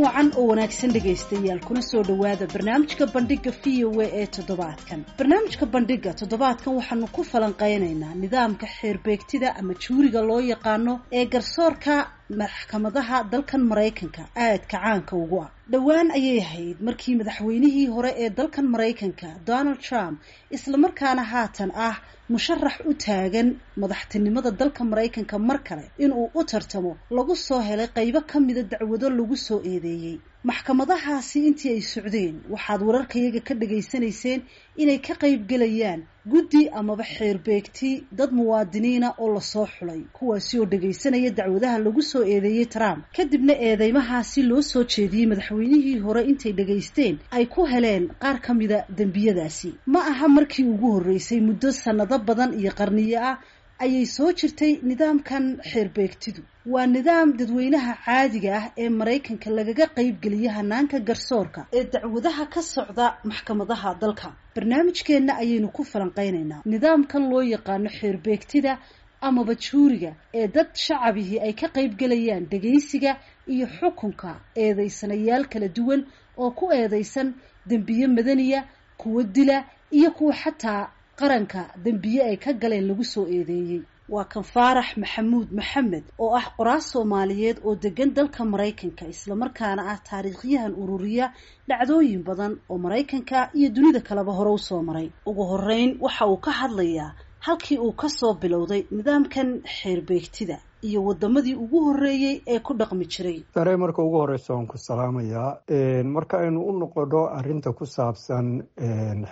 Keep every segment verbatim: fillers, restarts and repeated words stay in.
Wacan oo wanaagsan, dhegaystayaal, kuna soo dhowaada barnaamijka Bandhiga V O A ee toddobaadkan. Barnaamijka Bandhiga toddobaadkan waxaanu ku falanqeynaynaa nidaamka xeerbeegtida ama jury-ga loo yaqaano ee garsoorka maxkamadaha dalkan Maraykanka aadka caanka ugu ah. Dhowaan ayay ahayd markii madaxweynihii hore ee dalkan Maraykanka, Donald Trump, islamarkaana haatan ah musharax u taagan madaxtinimada dalka Maraykanka mar kale inuu u tartamo, lagu soo helay qaybo ka mida dacwado lagu soo eedeeyey. Maxkamadahaasi intii ay socdeen waxaad wararkayaga ka dhagaysanayseen inay ka qayb gelayaan guddi amaba xeerbeegti dad muwaadiniina oo lasoo xulay, kuwaasi oo dhagaysanaya dacwadaha lagu soo eedeeyey Trump. Kadibna eedeymahaasi loo soo jeediyey madaxweynihii hore intay dhagaysteen ay ku heleen qaar ka mida dembiyadaasi. Ma aha markii ugu horreysay, muddo sanado badan iyo qarniyo ah ayay soo jirtay nidaamkan xeerbeegtidu. Waa nidaam dadweynaha caadiga ah ee Maraykanka lagaga qaybgeliyo hanaanka garsoorka ee dacwadaha ka socda maxkamadaha dalka. Barnaamijkeenna ayaynu ku falanqeynaynaa nidaamkan loo yaqaano xeerbeegtida amaba jury-ga ee dad shacabihii ay ka qaybgelayaan dhegaysiga iyo xukunka eedeysanayaal kala duwan oo ku eedeysan dembiye madaniya, kuwo dila iyo kuwa xataa qaranka dembiye ay ka galeen lagu soo eedeeyey. Waa kan Faarax Maxamuud Maxamed oo ah qoraal Soomaaliyeed oo degan dalka Maraykanka, islamarkaana ah taariikhyahan ururiya dhacdooyin badan oo Maraykanka iyo dunida kaleba hore usoo maray. Ugu horeyn waxa uu ka hadlayaa halkii uu kasoo bilowday nidaamkan xeerbeegtida iyo wadamadii ugu horeeyey ee ku dhaqmi jiray. Sare, marka ugu horeysa waan ku salaamayaa. Marka aynu u noqono arrinta ku saabsan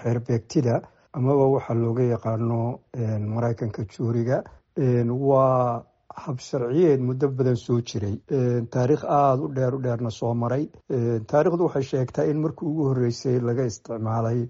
xeerbeegtida amaba waxaa looga yaqaano Maraykanka jury-ga, waa hab sharciyeed muddo badan soo jiray, taariikh aada u dheer u dheerna soo maray. Taariikhdu waxay sheegtaa in markii ugu horreysay laga isticmaalay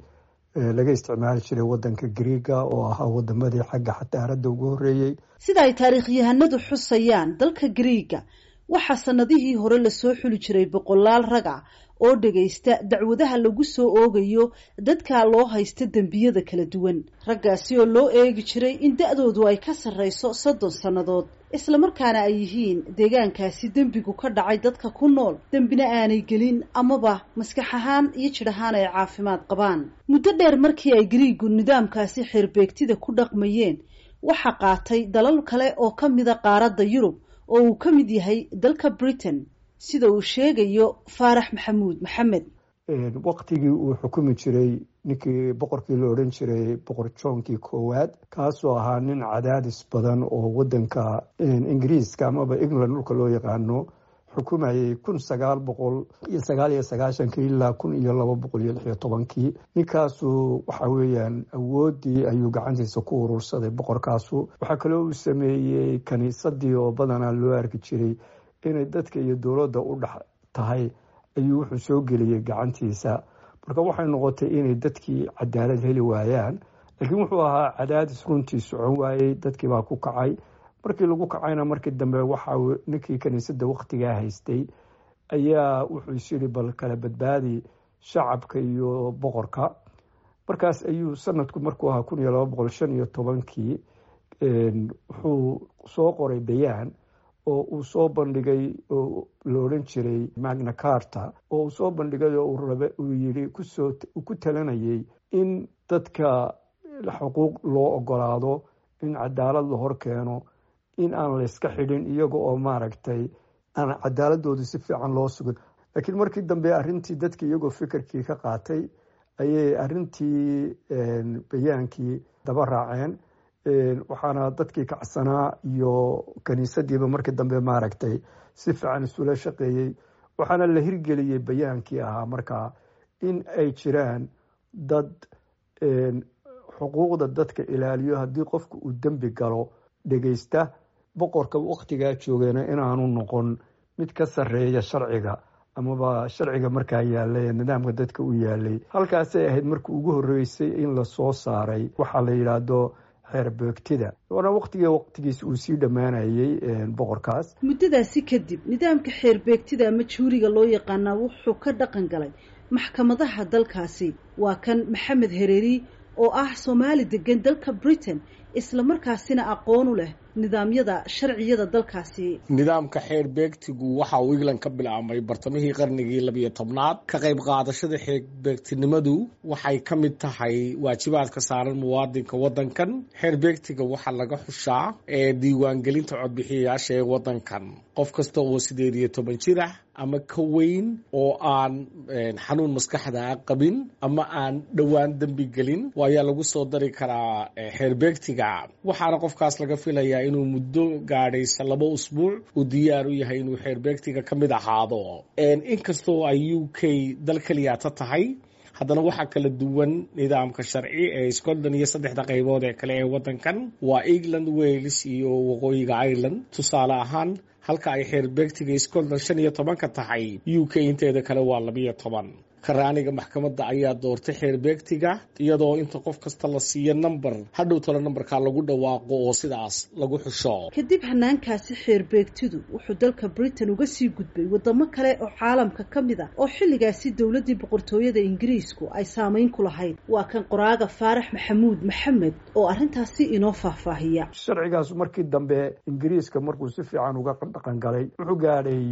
laga isticmaali jiray wadanka Greega, oo ahaa wadamadii xagga xadaaradda ugu horreeyey. Sida ay taariikhyahanadu xusayaan, dalka Greega waxaa sanadihii hore lasoo xuli jiray boqolaal rag ah oo dhagaysta dacwadaha lagu soo oogayo dadka loo haysta dembiyada kala duwan, raggaasi oo loo eegi jiray in da-doodu ay ka sarreyso soddon sannadood, islamarkaana ay yihiin deegaankaasi dembigu ka dhacay dadka ku nool, dembina aanay gelin amaba maskax ahaan iyo jidh ahaan ay caafimaad qabaan. Muddo dheer markii ay Griigu nidaamkaasi xeerbeegtida ku dhaqmayeen, waxaa qaatay dalal kale oo ka mida qaaradda Yurub, oo uu ka mid yahay dalka Britain, sida uu sheegayo Faarax Maxamuud Maxamed. Waqtigii uu xukumi jiray ninkii boqorkii la odhan jiray Boqor Johnkii Koowaad, kaasoo ahaa nin cadaadis badan oo wadanka Ingiriiska amaba England dhulka loo yaqaano xukumayay kun sagaal boqol iyo sagaal iyo sagaashankii ilaa kun iyo laba boqol iyo lix iyo tobankii. Ninkaasu waxa weeyaan awooddii ayuu gacantiisa ku urursaday boqorkaasu. Waxaa kaloo uu sameeyey kaniisadii, oo badanaa loo arki jiray inay dadka iyo dowladda u dhex tahay, ayuu wuxuu soo geliyey gacantiisa. Marka waxay noqotay inay dadkii cadaalad heli waayaan, laakiin wuxuu ahaa cadaadis runtii socon waayey. Dadkii baa ku kacay. Markii lagu kacayna, markii dambe waxa ninkii kaniisadda wakhtigaa haystay ayaa wuxuu is yidhi, "Bal kala badbaadi shacabka iyo boqorka." Markaas ayuu sanadku markuu ahaa kun iyo laba boqol shan iyo tobankii wuxuu soo qoray bayaan oo uu soo bandhigay, oo la odhan jiray Magna Carta, oo uu soo bandhigay oo uu yidhi kusoo ku talinayay in dadka xuquuq loo ogolaado, in cadaalad la hor keeno, in aan layska xidhin iyaga oo maaragtay aan cadaaladoodu si fiican loo sugin. Laakiin markii dambe arrintii dadki iyagoo fikirkii ka qaatay ayay arrintii bayaankii daba raaceen. Waxaana dadkii kacsanaa iyo kaniisadiiba markii dambe maaragtay si fiican isula shaqeeyey, waxaana la hirgeliyey bayaankii ahaa markaa in ay jiraan dad xuquuqda dadka ilaaliyo, haddii qofku uu dembi galo dhegeysta, boqorka wakhtigaa joogana inaanu noqon mid ka sarreeya sharciga amaba sharciga markaa yaalay ee nidaamka dadka u yaalay. Halkaasay ahayd markii ugu horreysay in lasoo saaray waxaa la yidhaahdo xeerbeegtida, waana waqtiga waqtigiisa uu sii dhammaanayay boqorkaas. Muddadaasi kadib nidaamka xeerbeegtida ama jury-ga loo yaqaanaa wuxuu ka dhaqan galay maxkamadaha dalkaasi. Waa kan Maxamed Hereeri oo ah Soomaali degan dalka Britain, Islamarkaasina aqoon u leh nidaamyada sharciyada dalkaasi. Nidaamka xeerbeegtigu waxa uu England ka bilaabmay bartamihii qarnigii labiyo tobnaad. Ka qayb qaadashada xeerbeegtinimadu waxay ka mid tahay waajibaadka saaran muwaadinka wadankan. Xeerbeegtiga waxaa laga xushaa ee diiwaangelinta codbixiyayaasha ee wadankan. Qof kasta oo sideed iyo toban jir ah ama ka weyn oo aan xanuun maskaxda qabin ama aan dhowaan dembi gelin ayaa lagu soo dari karaa xeerbeegtiga. Waxaana qofkaas laga filayaa inuu muddo gaadhaysa laba usbuuc uu diyaar u yahay inuu xeerbeegtiga ka mid ahaado. Inkastoo ay U K dal keliyaata tahay, haddana waxaa kala duwan nidaamka sharci ee Scotland iyo saddexda qaybood ee kale ee wadankan, waa England, Wales iyo Waqooyiga Ireland. Tusaale ahaan, halka ay xeerbeegtiga Scotland shan iyo tobanka tahay, U K inteeda kale waa labiyo toban. Karaaniga maxkamadda ayaa doortay xeerbeegtiga, iyadoo inta qof kasta la siiyo number, hadhow talo nambarkaa lagu dhawaaqo oo sidaas lagu xusho. Kadib hanaankaasi xeerbeegtidu wuxuu dalka Britain uga sii gudbay wadamo kale oo caalamka ka mid a oo xilligaasi dowladdii boqortooyada Ingiriisku ay saameyn ku lahayd. Waa kan qoraaga Faarax Maxamuud Maxamed oo arrintaasi inoo faahfaahiya. Sharcigaas markii dambe Ingiriiska markuu si fiican uga dhaqan galay, wuxuu gaadhay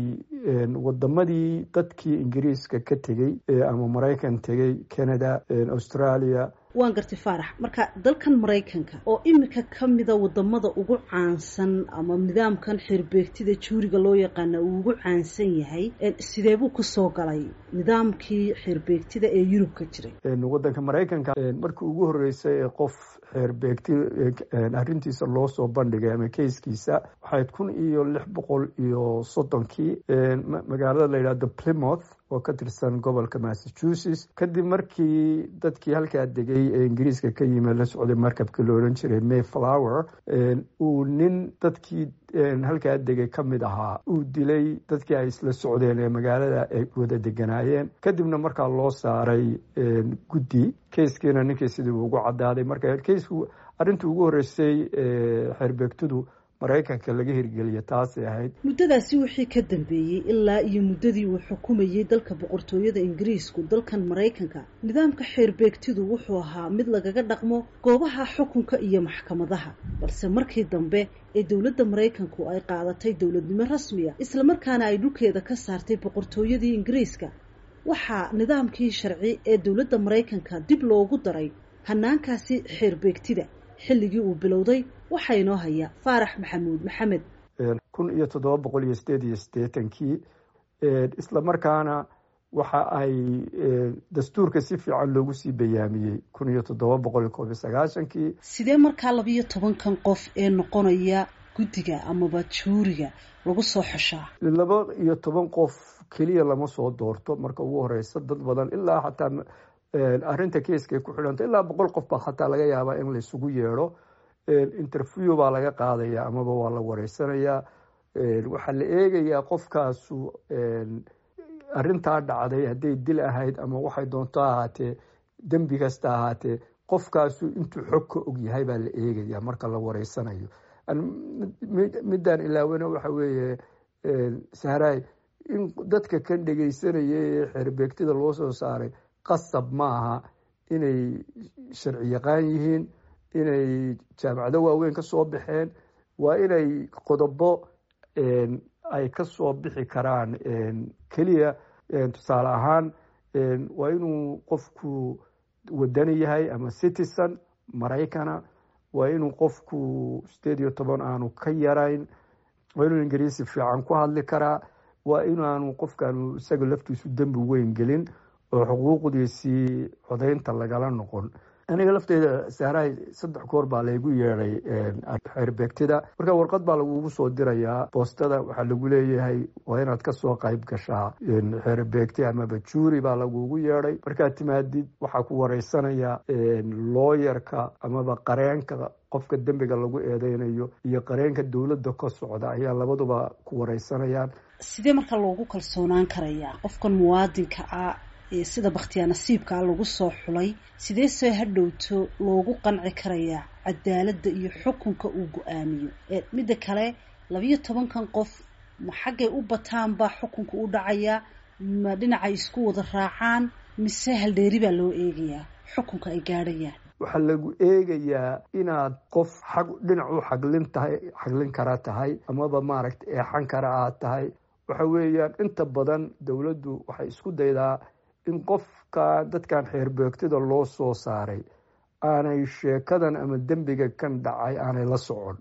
wadamadii dadkii Ingiriiska ka tegey ama Maraykan tegey, Canada, Australia. Waan gartay, Faarax. Marka dalkan Maraykanka oo imika ka mida wadamada ugu caansan ama nidaamkan xeerbeegtida juuriga loo yaqaana uu ugu caansan yahay, sidee buu kusoo galay nidaamkii xeerbeegtida ee Yurub ka jiray? Wadanka Maraykanka markii ugu horreysay ee qof xeerbeegti arrintiisa loo soo bandhigay ama kayskiisa waxayd kun iyo lix boqol iyo soddonkii magaalada la yidhahdo Plymouth oo ka tirsan gobolka Massachusetts, kadib markii dadkii halkaa degay ee Ingiriiska ka yimi la socday markabkii la odhan jiray Mayflower uu nin dadkii halkaa degay ka mid ahaa uu dilay dadkii ay isla socdeen ee magaalada ay wada deganaayeen. Kadibna markaa loo saaray guddi, kayskiina ninkii sidii ugu caddaaday. Marka kaysku arrintii ugu horreysay xeerbeegtidu Maraykanka laga hirgeliya taasay ahayd. Muddadaasi wixii ka dambeeyey ilaa iyo muddadii uu xukumayey dalka boqortooyada Ingiriisku dalkan Maraykanka, nidaamka xeerbeegtidu wuxuu ahaa mid lagaga dhaqmo goobaha xukunka iyo maxkamadaha. Balse markii dambe ee dowladda Maraykanku ay qaadatay dowladnimo rasmiya, islamarkaana ay dhulkeeda ka saartay boqortooyadii Ingiriiska, waxaa nidaamkii sharci ee dowladda Maraykanka dib loogu daray hanaankaasi xeerbeegtida. Xilligii uu bilowday waxaa inoo haya Faarax Maxamuud Maxamed. Kun iyo toddoba boqol iyo sideed iyo siddeetankii. Isla markaana waxa ay dastuurka si fiican loogu sii bayaamiyey kun iyo toddoba boqol iyo koob iyo sagaashankii. Sidee markaa labiyo tobankan qof ee noqonaya guddiga amaba juuriga lagu soo xushaa? Laba iyo toban qof keliya lama soo doorto. Marka ugu horeysa dad badan, ilaa xataa arrinta keiskay ku xidhanta, ilaa boqol qof baa xataa laga yaabaa in laysugu yeedho. Interview baa laga qaadaya amaba waa la wareysanayaa. Waxaa la eegayaa qofkaasu arrintaa dhacday hadday dil ahayd ama waxay doonto ahaatee, dembi kasta ahaatee, qofkaasu intuu xog ka og yahay baa la eegaya marka la wareysanayo. Midaan ilaawena waxa weeye, Sahraay, in dadka kan dhegeysanaya ee xeerbeegtida loo soo saaray qasab maaha inay sharci yaqaan yihiin, inay jaamacado waaweyn ka soo baxeen. Waa inay qodobo ay ka soo bixi karaan keliya. Tusaale ahaan, waa inuu qofku wadani yahay ama citizen Maraykana, waa inuu qofku sideed iyo toban aanu ka yarayn, waa inuu Ingiriisi fiican ku hadli karaa, waa inaanu qofkaanu isaga laftiisu dembi weyn gelin oo xuquuqdiisii codaynta lagala noqon. Aniga lafteyda, Sahraay, saddex goor baa laygu yeedhay xeerbeegtida. Marka warqad baa lagugu soo dirayaa boostada, waxaa lagu leeyahay waa inaad kasoo qayb gashaa xeerbeegti amaba juuri baa lagugu yeedhay. Markaad timaadid waxaa ku wareysanaya looyarka amaba qareenka qofka dembiga lagu eedeynayo iyo qareenka dowladda ka socda ayaa labaduba ku wareysanayaan. Sidee marka loogu kalsoonaan karayaa qofkan muwaadinka ah ee sida bakhtiyaa nasiibkaa lagu soo xulay? Sidee see hadhowto loogu qanci karayaa cadaaladda iyo xukunka uu go-aamiyo? Midda kale, labiyo tobankan qof ma xaggay u bataan baa xukunka u dhacayaa, ma dhinacay isku wada raacaan, mise haldheeri baa loo eegayaa xukunka ay gaadhayaan? Waxaa lagu eegayaa inaad qof xag dhinac u xaglin tahay, xaglin kara tahay, amaba maaragta eexan kara aad tahay. Waxa weeyaan inta badan dowladdu waxay isku daydaa in qofka dadkan xeerbeegtida loo soo saaray aanay sheekadan ama dembiga kan dhacay aanay la socon,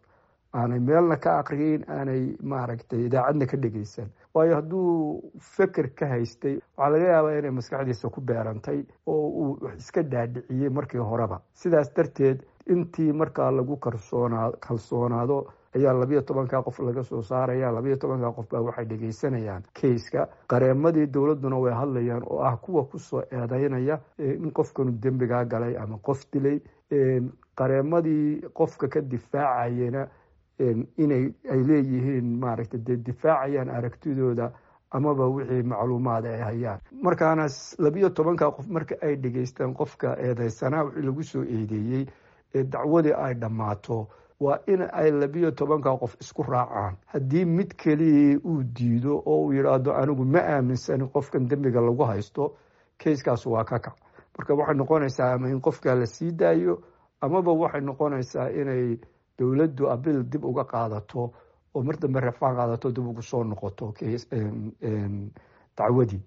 aanay meelna ka aqriyin, aanay maaragtay idaacadna ka dhegeysan. Waayo hadduu feker ka haystay, waxaa laga yaabaa inay maskaxdiisa ku beerantay oo uu wax iska dhaadhiciyey markii horeba. Sidaas darteed intii markaa lagu kalsoonaa kalsoonaado ayaa labiyo tobanka qof laga soo saaraya. Labiyo tobanka qof baa waxay dhegeysanayaan kayska. Qareemadii dowladduna way hadlayaan, oo ah kuwa kusoo eedeynaya in qofkanu dembigaa galay ama qof dilay. Qareemadii qofka ka difaacayana inay ay leeyihiin maaragtay dee difaacayaan aragtidooda amaba wixii macluumaad ay hayaan. Markaana labiyo tobanka qof marka ay dhegeystaan qofka eedeysanaa wixii lagu soo eedeeyey ee dacwadii ay dhammaato, waa in ay labiyo tobanka qof isku raacaan. Haddii mid keliyii uu diido oo uu yidhaahdo anigu ma aaminsanin qofkan dembiga lagu haysto, kayskaas waa ka kac. Marka waxay noqonaysaa ama in qofka la sii daayo, amaba waxay noqonaysaa inay dowladdu abil dib uga qaadato oo mar dambe rafaan qaadato, dib ugu soo noqoto dacwadii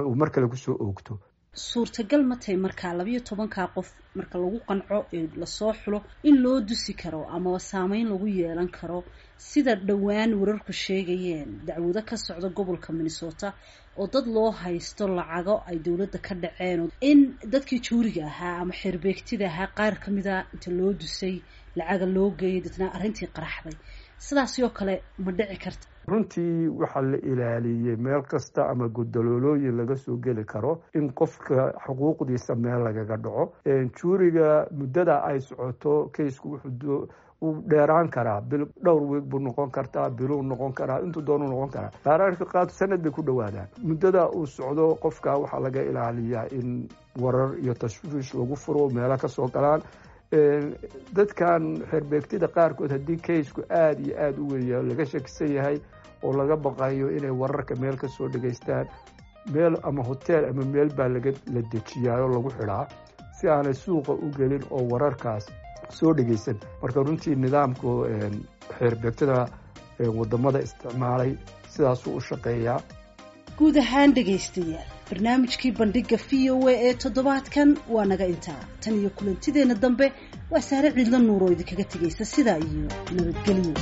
uu mar kale kusoo oogto. Suurtagal ma tahay markaa labiyo tobankaa qof marka lagu qanco ee lasoo xulo in loo dusi karo amaba saameyn lagu yeelan karo, sida dhowaan wararku sheegayeen dacwado ka socda gobolka Minnesota oo dad loo haysto lacago ay dowladda ka dhaceen, in dadkii juuriga ahaa ama xeerbeegtida ahaa qaar ka mida inta loo dusay lacaga loo geeyay, dadna arrintii qaraxday? Sidaasi oo kale ma dhici karta? Runtii waxaa la ilaaliyey meel kasta ama guddaloolooyin laga soo geli karo in qofka xuquuqdiisa meel lagaga dhaco. Juuriga muddada ay socoto kaysku wuxuu wuu dheeraan karaa, bil, dhowr weeg buu noqon kartaa, biluu noqon karaa, intuu doonuu noqon karaa. Qaararka qaar sanad bay ku dhowaadaan. Muddada uu socdo qofka waxaa laga ilaaliyaa in warar iyo tashwiish lagu furo, meelo ka soo galaan dadkan xeerbeegtida qaarkood. Haddii kaysku aada iyo aada u weya laga shakisan yahay oo laga baqayo inay wararka meel ka soo dhegaystaan, meel ama hotel ama meel baa laga la dejiyaa oo lagu xidhaa si aanay suuqa u gelin oo wararkaas soo dhegaysan. Marka runtii nidaamku xeerbeegtada wadamada isticmaalay sidaasuu u shaqeeyaa. Guud ahaan dhegaystayaal, barnaamijkii bandhiga v o a ee toddobaadkan waa naga intaa. Tan iyo kulantideenna dambe, waa Saare Ciidla Nuur oo idinkaga tegaysa sidaa iyo nabadgelyo.